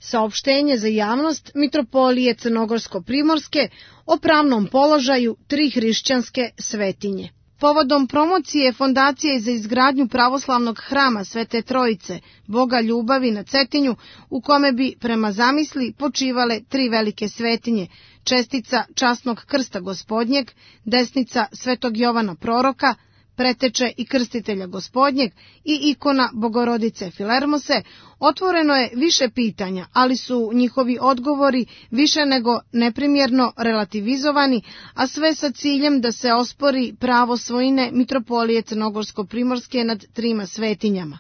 Saopštenje za javnost Mitropolije Crnogorsko-primorske o pravnom položaju 3 hrišćanske svetinje. Povodom promocije Fondacije za izgradnju pravoslavnog hrama Svete Trojice, Boga ljubavi na Cetinju, u kome bi prema zamisli počivale 3 velike svetinje, čestica časnog krsta Gospodnjeg, desnica Svetog Jovana Proroka, preteče i krstitelja Gospodnjeg i ikona Bogorodice Filermose, otvoreno je više pitanja, ali su njihovi odgovori više nego neprimjerno relativizovani, a sve sa ciljem da se ospori pravo svojine Mitropolije Crnogorsko-primorske nad 3 svetinjama.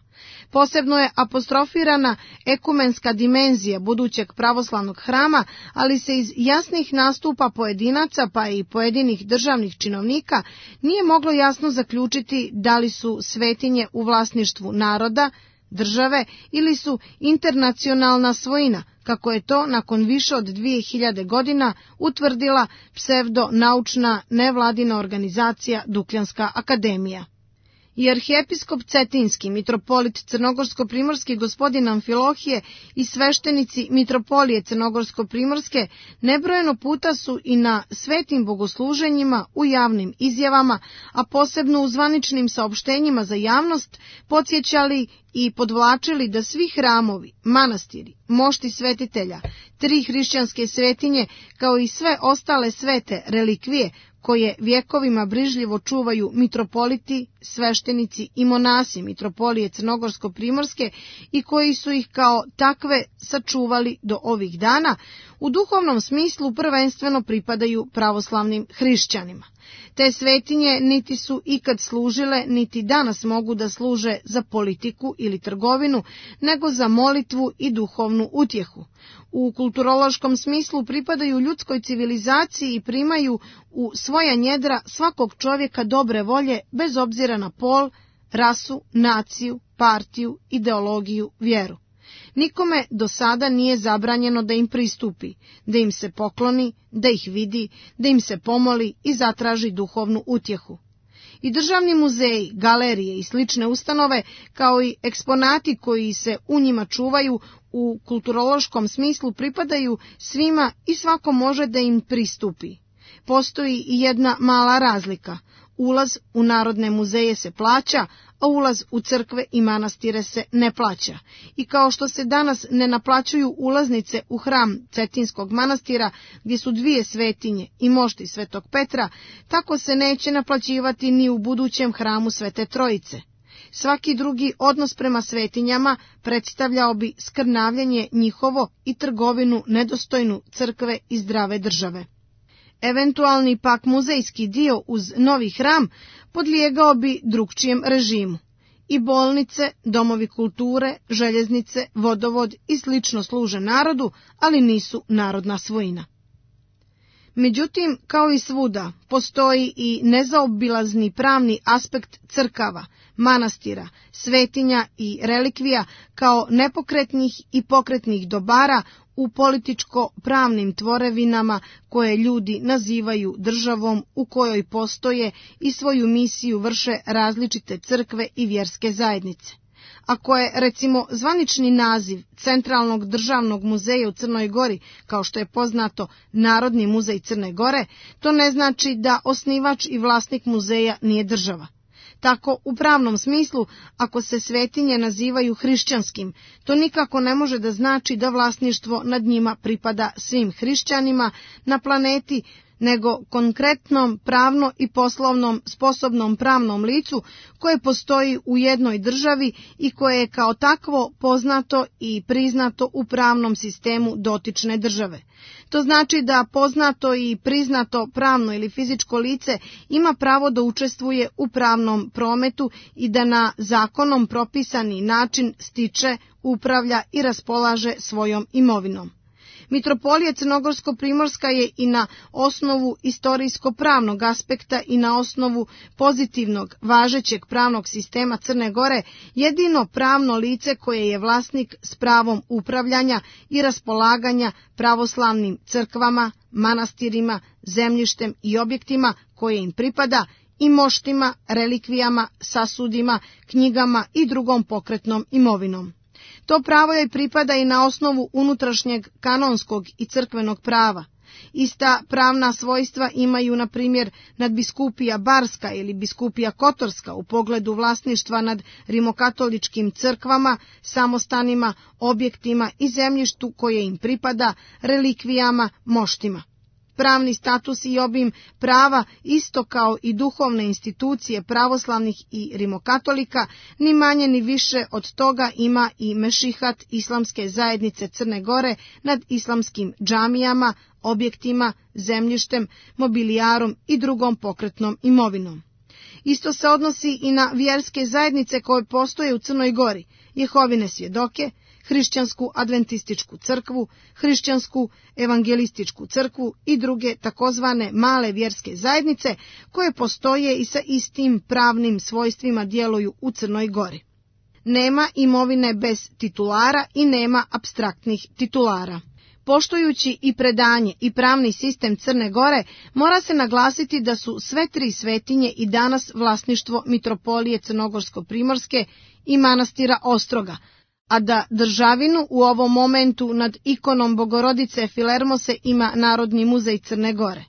Posebno je apostrofirana ekumenska dimenzija budućeg pravoslavnog hrama, ali se iz jasnih nastupa pojedinaca pa i pojedinih državnih činovnika nije moglo jasno zaključiti da li su svetinje u vlasništvu naroda, države ili su internacionalna svojina, kako je to nakon više od 2000 godina utvrdila psevdonaučna nevladina organizacija Dukljanska akademija. I arhijepiskop Cetinski, mitropolit Crnogorsko-primorski gospodin Amfilohije i sveštenici Mitropolije Crnogorsko-primorske nebrojeno puta su i na svetim bogosluženjima, u javnim izjavama, a posebno u zvaničnim saopštenjima za javnost, podsjećali i podvlačili da svi hramovi, manastiri, mošti svetitelja, 3 hrišćanske svetinje, kao i sve ostale svete relikvije, koje vjekovima brižljivo čuvaju mitropoliti, sveštenici i monasi Mitropolije Crnogorsko-primorske i koji su ih kao takve sačuvali do ovih dana, u duhovnom smislu prvenstveno pripadaju pravoslavnim hrišćanima. Te svetinje niti su ikad služile, niti danas mogu da služe za politiku ili trgovinu, nego za molitvu i duhovnu utjehu. U kulturološkom smislu pripadaju ljudskoj civilizaciji i primaju u svoja njedra svakog čovjeka dobre volje, bez obzira na pol, rasu, naciju, partiju, ideologiju, vjeru. Nikome do sada nije zabranjeno da im pristupi, da im se pokloni, da ih vidi, da im se pomoli i zatraži duhovnu utjehu. I državni muzeji, galerije i slične ustanove, kao i eksponati koji se u njima čuvaju, u kulturološkom smislu pripadaju svima i svako može da im pristupi. Postoji i jedna mala razlika. Ulaz u narodne muzeje se plaća, a ulaz u crkve i manastire se ne plaća. I kao što se danas ne naplaćuju ulaznice u hram Cetinskog manastira, gdje su 2 svetinje i mošti Svetog Petra, tako se neće naplaćivati ni u budućem hramu Svete Trojice. Svaki drugi odnos prema svetinjama predstavljao bi skrnavljenje njihovo i trgovinu nedostojnu crkve i zdrave države. Eventualni pak muzejski dio uz novi hram podlijegao bi drugčijem režimu. I bolnice, domovi kulture, željeznice, vodovod i slično služe narodu, ali nisu narodna svojina. Međutim, kao i svuda, postoji i nezaobilazni pravni aspekt crkava, manastira, svetinja i relikvija kao nepokretnih i pokretnih dobara u političko-pravnim tvorevinama koje ljudi nazivaju državom u kojoj postoje i svoju misiju vrše različite crkve i vjerske zajednice. Ako je, recimo, zvanični naziv Centralnog državnog muzeja u Crnoj Gori, kao što je poznato Narodni muzej Crne Gore, to ne znači da osnivač i vlasnik muzeja nije država. Tako, u pravnom smislu, ako se svetinje nazivaju hrišćanskim, to nikako ne može da znači da vlasništvo nad njima pripada svim hrišćanima na planeti, nego konkretnom pravno i poslovnom sposobnom pravnom licu koje postoji u jednoj državi i koje je kao takvo poznato i priznato u pravnom sistemu dotične države. To znači da poznato i priznato pravno ili fizičko lice ima pravo da učestvuje u pravnom prometu i da na zakonom propisani način stiče, upravlja i raspolaže svojom imovinom. Mitropolija Crnogorsko-primorska je i na osnovu istorijsko-pravnog aspekta i na osnovu pozitivnog važećeg pravnog sistema Crne Gore jedino pravno lice koje je vlasnik s pravom upravljanja i raspolaganja pravoslavnim crkvama, manastirima, zemljištem i objektima koje im pripada, i moštima, relikvijama, sasudima, knjigama i drugom pokretnom imovinom. To pravo joj pripada i na osnovu unutrašnjeg kanonskog i crkvenog prava. Ista pravna svojstva imaju, na primjer, nadbiskupija Barska ili biskupija Kotorska u pogledu vlasništva nad rimokatoličkim crkvama, samostanima, objektima i zemljištu koje im pripada, relikvijama, moštima. Pravni status i obim prava, isto kao i duhovne institucije pravoslavnih i rimokatolika, ni manje ni više od toga ima i mešihat Islamske zajednice Crne Gore nad islamskim džamijama, objektima, zemljištem, mobilijarom i drugom pokretnom imovinom. Isto se odnosi i na vjerske zajednice koje postoje u Crnoj Gori, Jehovine svjedoke, hrišćansku adventističku crkvu, hrišćansku evangelističku crkvu i druge takozvane male vjerske zajednice koje postoje i sa istim pravnim svojstvima djeluju u Crnoj Gori. Nema imovine bez titulara i nema apstraktnih titulara. Poštujući i predanje i pravni sistem Crne Gore, mora se naglasiti da su sve tri svetinje i danas vlasništvo Mitropolije Crnogorsko-Primorske i manastira Ostroga, a da državinu u ovom momentu nad ikonom Bogorodice Filermose ima Narodni muzej Crne Gore.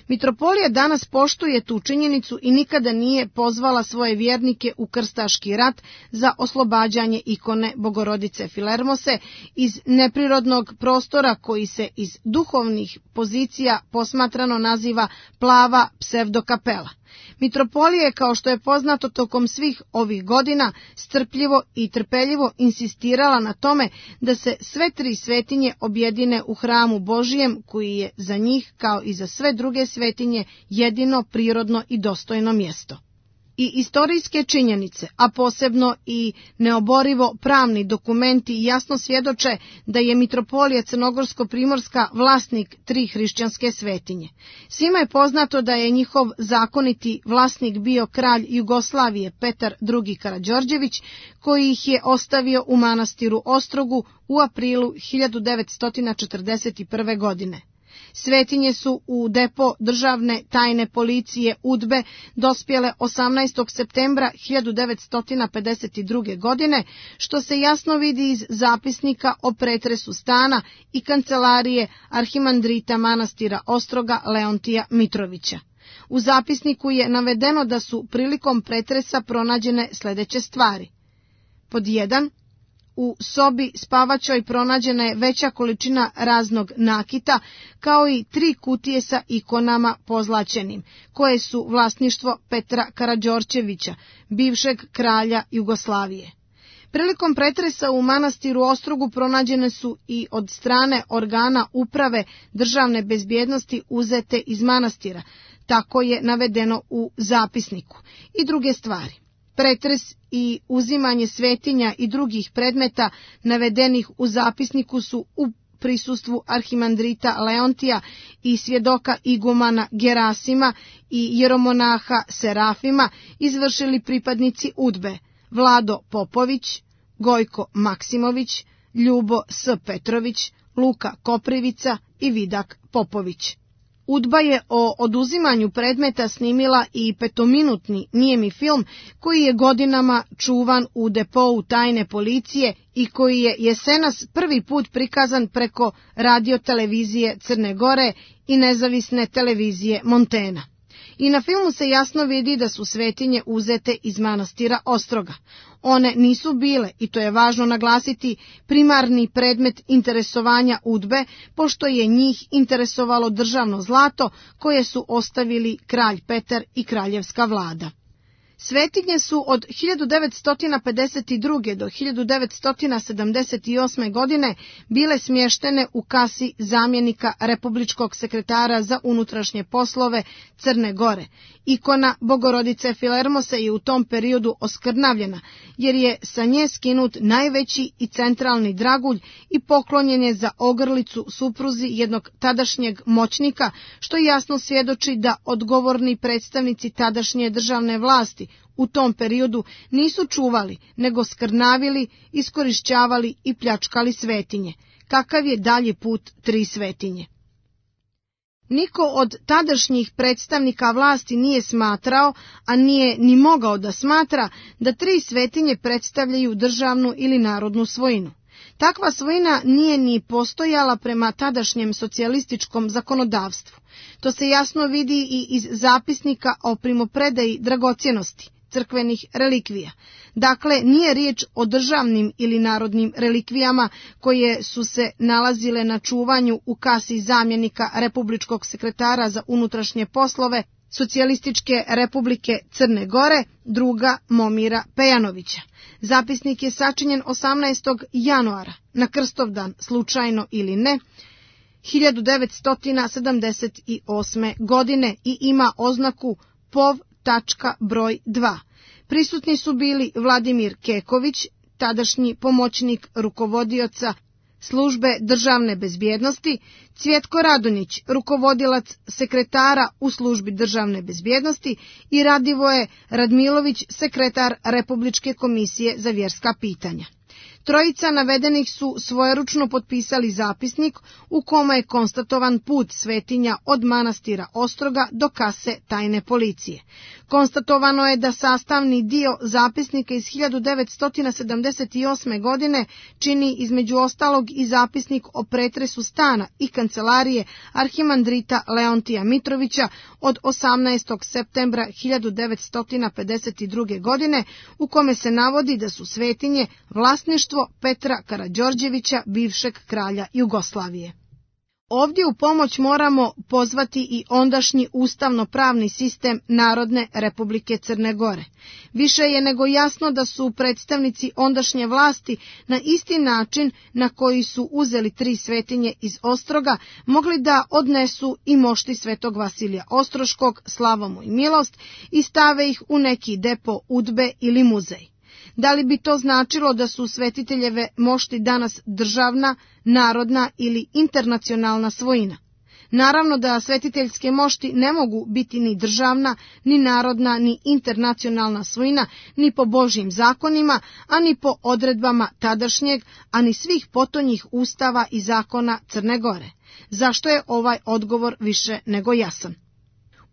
Mitropolija danas poštuje tu činjenicu i nikada nije pozvala svoje vjernike u krstaški rat za oslobađanje ikone Bogorodice Filermose iz neprirodnog prostora koji se iz duhovnih pozicija posmatrano naziva plava psevdokapela. Mitropolija je, kao što je poznato tokom svih ovih godina, strpljivo i trpeljivo insistirala na tome da se sve tri svetinje objedine u hramu Božijem, koji je za njih, kao i za sve druge svetinje, jedino prirodno i dostojno mjesto. I istorijske činjenice, a posebno i neoborivo pravni dokumenti jasno svjedoče da je Mitropolija Crnogorsko-Primorska vlasnik tri hrišćanske svetinje. Svima je poznato da je njihov zakoniti vlasnik bio kralj Jugoslavije Petar II. Karađorđević, koji ih je ostavio u manastiru Ostrogu u aprilu 1941. godine. Svetinje su u depo državne tajne policije UDBE dospjele 18. septembra 1952. godine, što se jasno vidi iz zapisnika o pretresu stana i kancelarije arhimandrita manastira Ostroga Leontija Mitrovića. U zapisniku je navedeno da su prilikom pretresa pronađene sljedeće stvari. Pod 1. U sobi spavačoj pronađena je veća količina raznog nakita, kao i 3 kutije sa ikonama pozlaćenim, koje su vlasništvo Petra Karađorđevića, bivšeg kralja Jugoslavije. Prilikom pretresa u manastiru Ostrogu pronađene su i od strane organa uprave državne bezbjednosti uzete iz manastira, tako je navedeno u zapisniku, i druge stvari. Pretres i uzimanje svetinja i drugih predmeta navedenih u zapisniku su u prisustvu arhimandrita Leontija i svjedoka igumana Gerasima i jeromonaha Serafima izvršili pripadnici UDBE Vlado Popović, Gojko Maksimović, Ljubo S. Petrović, Luka Koprivica i Vidak Popović. UDBA je o oduzimanju predmeta snimila i 5-minutni nijemi film koji je godinama čuvan u depou tajne policije i koji je jesenas prvi put prikazan preko radiotelevizije Crne Gore i nezavisne televizije Montena. I na filmu se jasno vidi da su svetinje uzete iz manastira Ostroga. One nisu bile, i to je važno naglasiti, primarni predmet interesovanja UDBE, pošto je njih interesovalo državno zlato koje su ostavili kralj Petar i kraljevska vlada. Svetinje su od 1952. do 1978. godine bile smještene u kasi zamjenika republičkog sekretara za unutrašnje poslove Crne Gore. Ikona Bogorodice Filermose je u tom periodu oskrnavljena, jer je sa nje skinut najveći i centralni dragulj i poklonjen je za ogrlicu supruzi jednog tadašnjeg moćnika, što jasno svjedoči da odgovorni predstavnici tadašnje državne vlasti u tom periodu nisu čuvali, nego skrnavili, iskorišćavali i pljačkali svetinje. Kakav je dalji put tri svetinje? Niko od tadašnjih predstavnika vlasti nije smatrao, a nije ni mogao da smatra, da tri svetinje predstavljaju državnu ili narodnu svojinu. Takva svojina nije ni postojala prema tadašnjem socijalističkom zakonodavstvu. To se jasno vidi i iz zapisnika o primopredaji dragocjenosti, crkvenih relikvija. Dakle, nije riječ o državnim ili narodnim relikvijama koje su se nalazile na čuvanju u kasi zamjenika republičkog sekretara za unutrašnje poslove Socijalističke republike Crne Gore, druga Momira Pejanovića. Zapisnik je sačinjen 18. januara, na Krstovdan, slučajno ili ne, 1978. godine i ima oznaku POV. Broj 2. Prisutni su bili Vladimir Keković, tadašnji pomoćnik rukovodioca Službe državne bezbjednosti, Cvjetko Radonjić, rukovodilac sekretara u Službi državne bezbjednosti i Radivoje Radmilović, sekretar Republičke komisije za vjerska pitanja. Trojica navedenih su svojeručno potpisali zapisnik u kome je konstatovan put svetinja od manastira Ostroga do kase tajne policije. Konstatovano je da sastavni dio zapisnika iz 1978. godine čini između ostalog i zapisnik o pretresu stana i kancelarije arhimandrita Leontija Mitrovića od 18. septembra 1952. godine, u kome se navodi da su svetinje vlasništvo Petra Karađorđevića, bivšeg kralja Jugoslavije. Ovdje u pomoć moramo pozvati i ondašnji ustavno-pravni sistem Narodne Republike Crne Gore. Više je nego jasno da su predstavnici ondašnje vlasti na isti način na koji su uzeli tri svetinje iz Ostroga mogli da odnesu i mošti svetog Vasilija Ostroškog, slavu mu i milost, i stave ih u neki depo udbe ili muzej. Da li bi to značilo da su svetiteljeve mošti danas državna, narodna ili internacionalna svojina? Naravno da svetiteljske mošti ne mogu biti ni državna, ni narodna, ni internacionalna svojina, ni po Božjim zakonima, a ni po odredbama tadašnjeg, a ni svih potonjih ustava i zakona Crne Gore. Zašto je ovaj odgovor više nego jasan?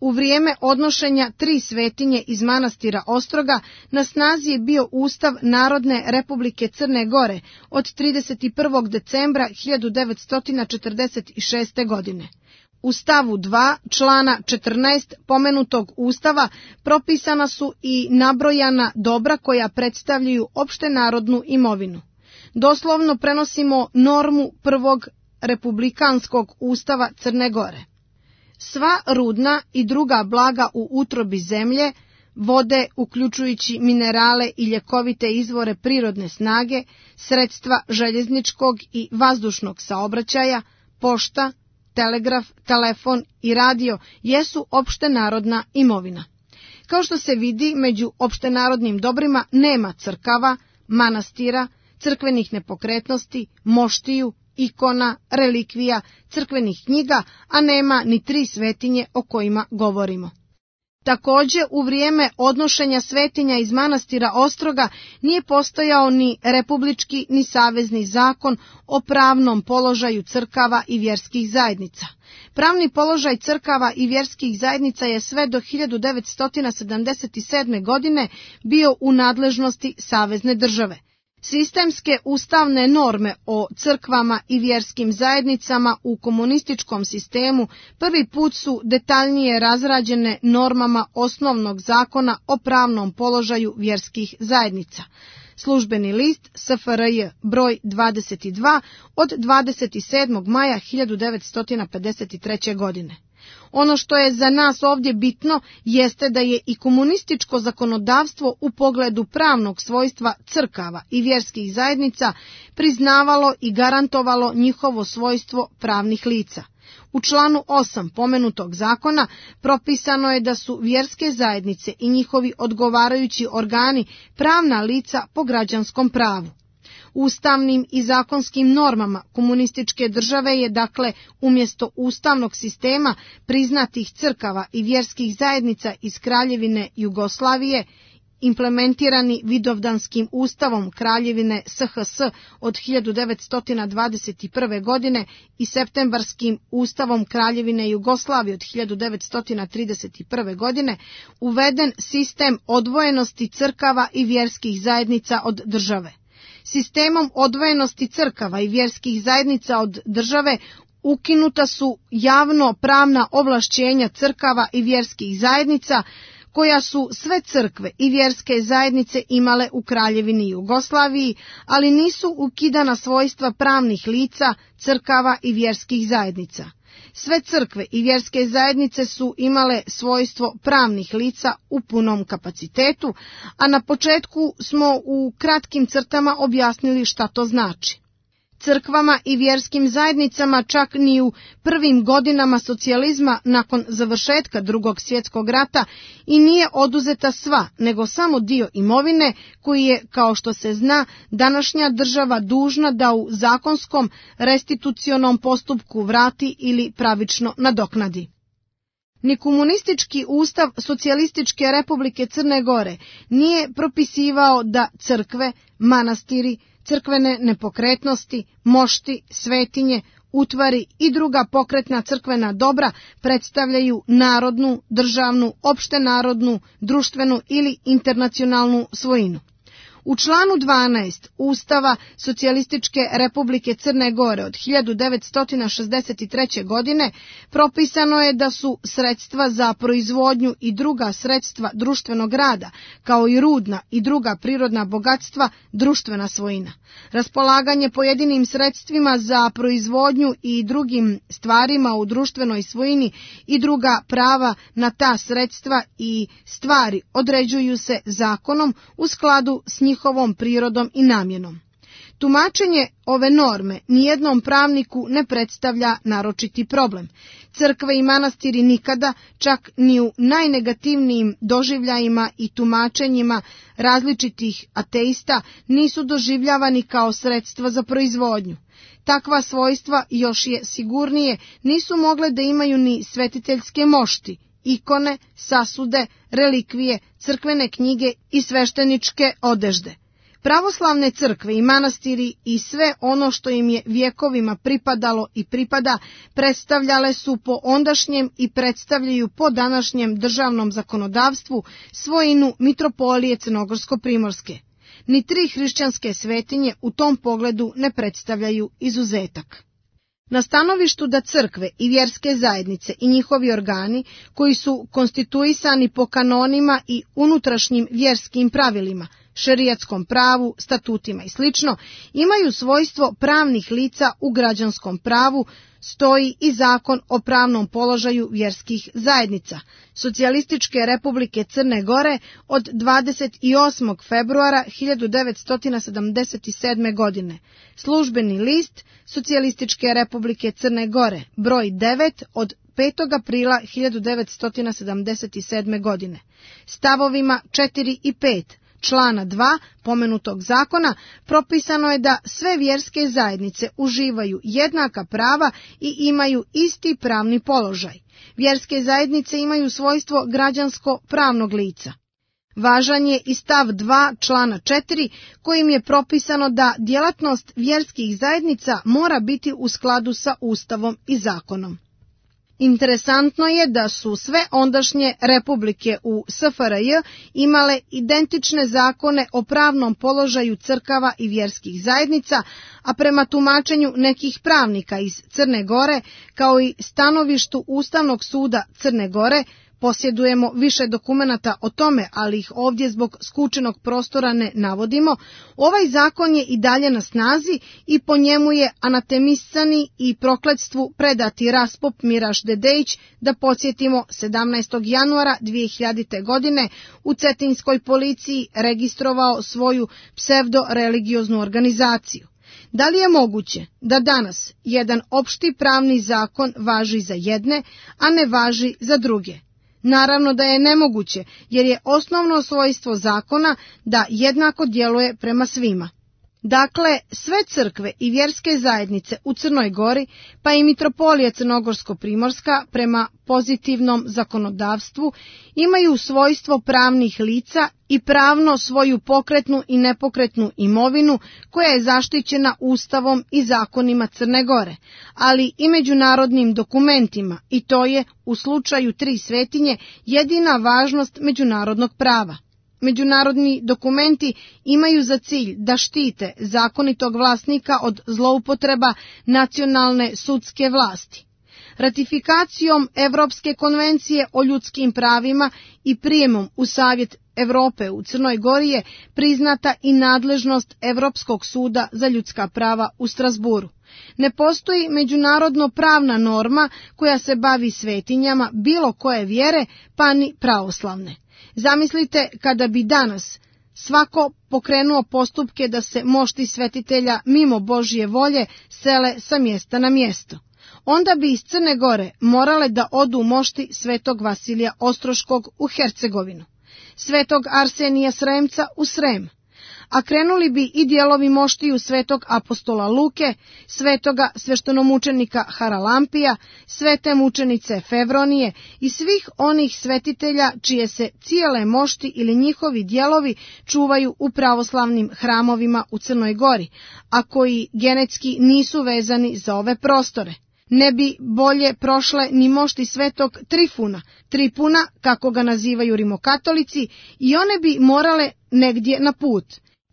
U vrijeme odnošenja tri svetinje iz manastira Ostroga na snazi je bio Ustav Narodne Republike Crne Gore od 31. decembra 1946. godine. U stavu 2 člana 14 pomenutog Ustava propisana su i nabrojana dobra koja predstavljaju opštenarodnu imovinu. Doslovno prenosimo normu prvog republikanskog Ustava Crne Gore. Sva rudna i druga blaga u utrobi zemlje, vode uključujući minerale i ljekovite izvore prirodne snage, sredstva željezničkog i vazdušnog saobraćaja, pošta, telegraf, telefon i radio jesu opštenarodna imovina. Kao što se vidi, među opštenarodnim dobrima nema crkava, manastira, crkvenih nepokretnosti, moštiju, ikona, relikvija, crkvenih knjiga, a nema ni tri svetinje o kojima govorimo. Također, u vrijeme odnošenja svetinja iz manastira Ostroga nije postojao ni republički ni savezni zakon o pravnom položaju crkava i vjerskih zajednica. Pravni položaj crkava i vjerskih zajednica je sve do 1977. godine bio u nadležnosti savezne države. Sistemske ustavne norme o crkvama i vjerskim zajednicama u komunističkom sistemu prvi put su detaljnije razrađene normama osnovnog zakona o pravnom položaju vjerskih zajednica. Službeni list SFRJ broj 22 od 27. maja 1953. godine. Ono što je za nas ovdje bitno jeste da je i komunističko zakonodavstvo u pogledu pravnog svojstva crkava i vjerskih zajednica priznavalo i garantovalo njihovo svojstvo pravnih lica. U članu 8 pomenutog zakona propisano je da su vjerske zajednice i njihovi odgovarajući organi pravna lica po građanskom pravu. Ustavnim i zakonskim normama komunističke države je dakle umjesto ustavnog sistema priznatih crkava i vjerskih zajednica iz Kraljevine Jugoslavije implementirani Vidovdanskim ustavom Kraljevine SHS od 1921. godine i Septembarskim ustavom Kraljevine Jugoslavije od 1931. godine, uveden sistem odvojenosti crkava i vjerskih zajednica od države. Sistemom odvojenosti crkava i vjerskih zajednica od države ukinuta su javno pravna ovlašćenja crkava i vjerskih zajednica koja su sve crkve i vjerske zajednice imale u Kraljevini Jugoslaviji, ali nisu ukidana svojstva pravnih lica crkava i vjerskih zajednica. Sve crkve i vjerske zajednice su imale svojstvo pravnih lica u punom kapacitetu, a na početku smo u kratkim crtama objasnili šta to znači. Crkvama i vjerskim zajednicama čak ni u prvim godinama socijalizma nakon završetka Drugog svjetskog rata i nije oduzeta sva, nego samo dio imovine koji je, kao što se zna, današnja država dužna da u zakonskom restitucionom postupku vrati ili pravično nadoknadi. Ni komunistički ustav Socijalističke Republike Crne Gore nije propisivao da crkve, manastiri, crkvene nepokretnosti, mošti, svetinje, utvari i druga pokretna crkvena dobra predstavljaju narodnu, državnu, opštenarodnu, društvenu ili internacionalnu svojinu. U članu 12 Ustava Socijalističke Republike Crne Gore od 1963. godine propisano je da su sredstva za proizvodnju i druga sredstva društvenog rada, kao i rudna i druga prirodna bogatstva, društvena svojina. Raspolaganje pojedinim sredstvima za proizvodnju i drugim stvarima u društvenoj svojini i druga prava na ta sredstva i stvari određuju se zakonom u skladu s njihovom prirodom i namjenom. Tumačenje ove norme nijednom pravniku ne predstavlja naročiti problem. Crkve i manastiri nikada, čak ni u najnegativnijim doživljajima i tumačenjima različitih ateista, nisu doživljavani kao sredstva za proizvodnju. Takva svojstva, još je sigurnije, nisu mogle da imaju ni svetiteljske mošti, ikone, sasude, relikvije, crkvene knjige i svešteničke odežde. Pravoslavne crkve i manastiri i sve ono što im je vjekovima pripadalo i pripada predstavljale su po ondašnjem i predstavljaju po današnjem državnom zakonodavstvu svojinu mitropolije Crnogorsko-primorske. Ni tri hrišćanske svetinje u tom pogledu ne predstavljaju izuzetak. Na stanovištu da crkve i vjerske zajednice i njihovi organi, koji su konstituisani po kanonima i unutrašnjim vjerskim pravilima, šerijatskom pravu, statutima i sl., imaju svojstvo pravnih lica u građanskom pravu, stoji i zakon o pravnom položaju vjerskih zajednica Socijalističke Republike Crne Gore od 28. februara 1977. godine. Službeni list Socijalističke Republike Crne Gore, broj 9 od 5. aprila 1977. godine. Stavovima 4 i 5 člana 2 pomenutog zakona propisano je da sve vjerske zajednice uživaju jednaka prava i imaju isti pravni položaj. Vjerske zajednice imaju svojstvo građansko-pravnog lica. Važan je i stav 2 člana 4 kojim je propisano da djelatnost vjerskih zajednica mora biti u skladu sa Ustavom i zakonom. Interesantno je da su sve ondašnje republike u SFRJ imale identične zakone o pravnom položaju crkava i vjerskih zajednica, a prema tumačenju nekih pravnika iz Crne Gore, kao i stanovištu Ustavnog suda Crne Gore, posjedujemo više dokumenata o tome, ali ih ovdje zbog skučenog prostora ne navodimo, ovaj zakon je i dalje na snazi i po njemu je anatemisani i prokletstvu predati Raspop Miraš Dedejić, da podsjetimo 17. januara 2000. godine u Cetinskoj policiji registrovao svoju psevdo-religioznu organizaciju. Da li je moguće da danas jedan opšti pravni zakon važi za jedne, a ne važi za druge? Naravno da je nemoguće, jer je osnovno svojstvo zakona da jednako djeluje prema svima. Dakle, sve crkve i vjerske zajednice u Crnoj Gori, pa i mitropolija Crnogorsko-primorska prema pozitivnom zakonodavstvu, imaju svojstvo pravnih lica i pravno svoju pokretnu i nepokretnu imovinu koja je zaštićena Ustavom i zakonima Crne Gore, ali i međunarodnim dokumentima, i to je u slučaju tri svetinje jedina važnost međunarodnog prava. Međunarodni dokumenti imaju za cilj da štite zakonitog vlasnika od zloupotreba nacionalne sudske vlasti. Ratifikacijom Evropske konvencije o ljudskim pravima i prijemom u Savjet Evrope u Crnoj Gori je priznata i nadležnost Evropskog suda za ljudska prava u Strasburu. Ne postoji međunarodno pravna norma koja se bavi svetinjama bilo koje vjere, pa ni pravoslavne. Zamislite kada bi danas svako pokrenuo postupke da se mošti svetitelja mimo Božje volje sele sa mjesta na mjesto. Onda bi iz Crne Gore morale da odu mošti svetog Vasilija Ostroškog u Hercegovinu, svetog Arsenija Sremca u Srem, a krenuli bi i dijelovi moštiju svetog apostola Luke, svetoga sveštenomučenika Haralampija, svete mučenice Fevronije i svih onih svetitelja čije se cijele mošti ili njihovi dijelovi čuvaju u pravoslavnim hramovima u Crnoj Gori, a koji genetski nisu vezani za ove prostore. Ne bi bolje prošle ni mošti svetog Tripuna, kako ga nazivaju rimokatolici, i one bi morale negdje na put.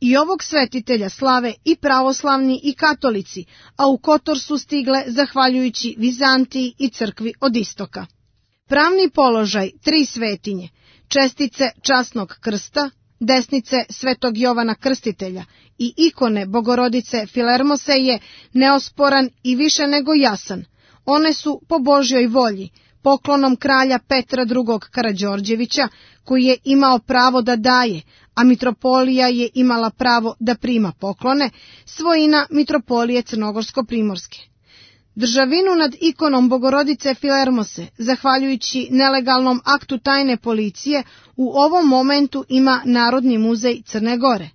I ovog svetitelja slave i pravoslavni i katolici, a u Kotor su stigle zahvaljujući Vizantiji i crkvi od istoka. Pravni položaj tri svetinje, čestice časnog krsta, desnice svetog Jovana Krstitelja i ikone Bogorodice Filermose je neosporan i više nego jasan. One su po Božjoj volji, poklonom kralja Petra II. Karađorđevića, koji je imao pravo da daje, a mitropolija je imala pravo da prima poklone, svojina mitropolije Crnogorsko-primorske. Državinu nad ikonom Bogorodice Filermose, zahvaljujući nelegalnom aktu tajne policije, u ovom momentu ima Narodni muzej Crne Gore.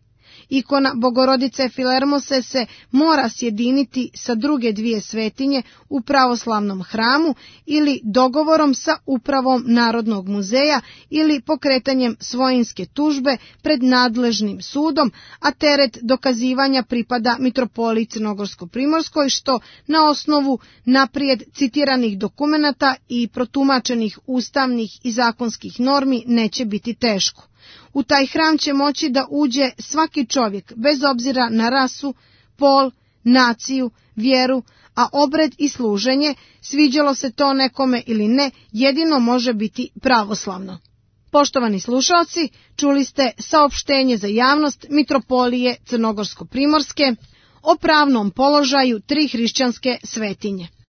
Ikona Bogorodice Filermose se mora sjediniti sa druge dvije svetinje u pravoslavnom hramu ili dogovorom sa upravom Narodnog muzeja ili pokretanjem svojinske tužbe pred nadležnim sudom, a teret dokazivanja pripada mitropoliji Crnogorsko-primorskoj, što na osnovu naprijed citiranih dokumenata i protumačenih ustavnih i zakonskih normi neće biti teško. U taj hram će moći da uđe svaki čovjek, bez obzira na rasu, pol, naciju, vjeru, a obred i služenje, sviđalo se to nekome ili ne, jedino može biti pravoslavno. Poštovani slušalci, čuli ste saopštenje za javnost mitropolije Crnogorsko-primorske o pravnom položaju tri hrišćanske svetinje.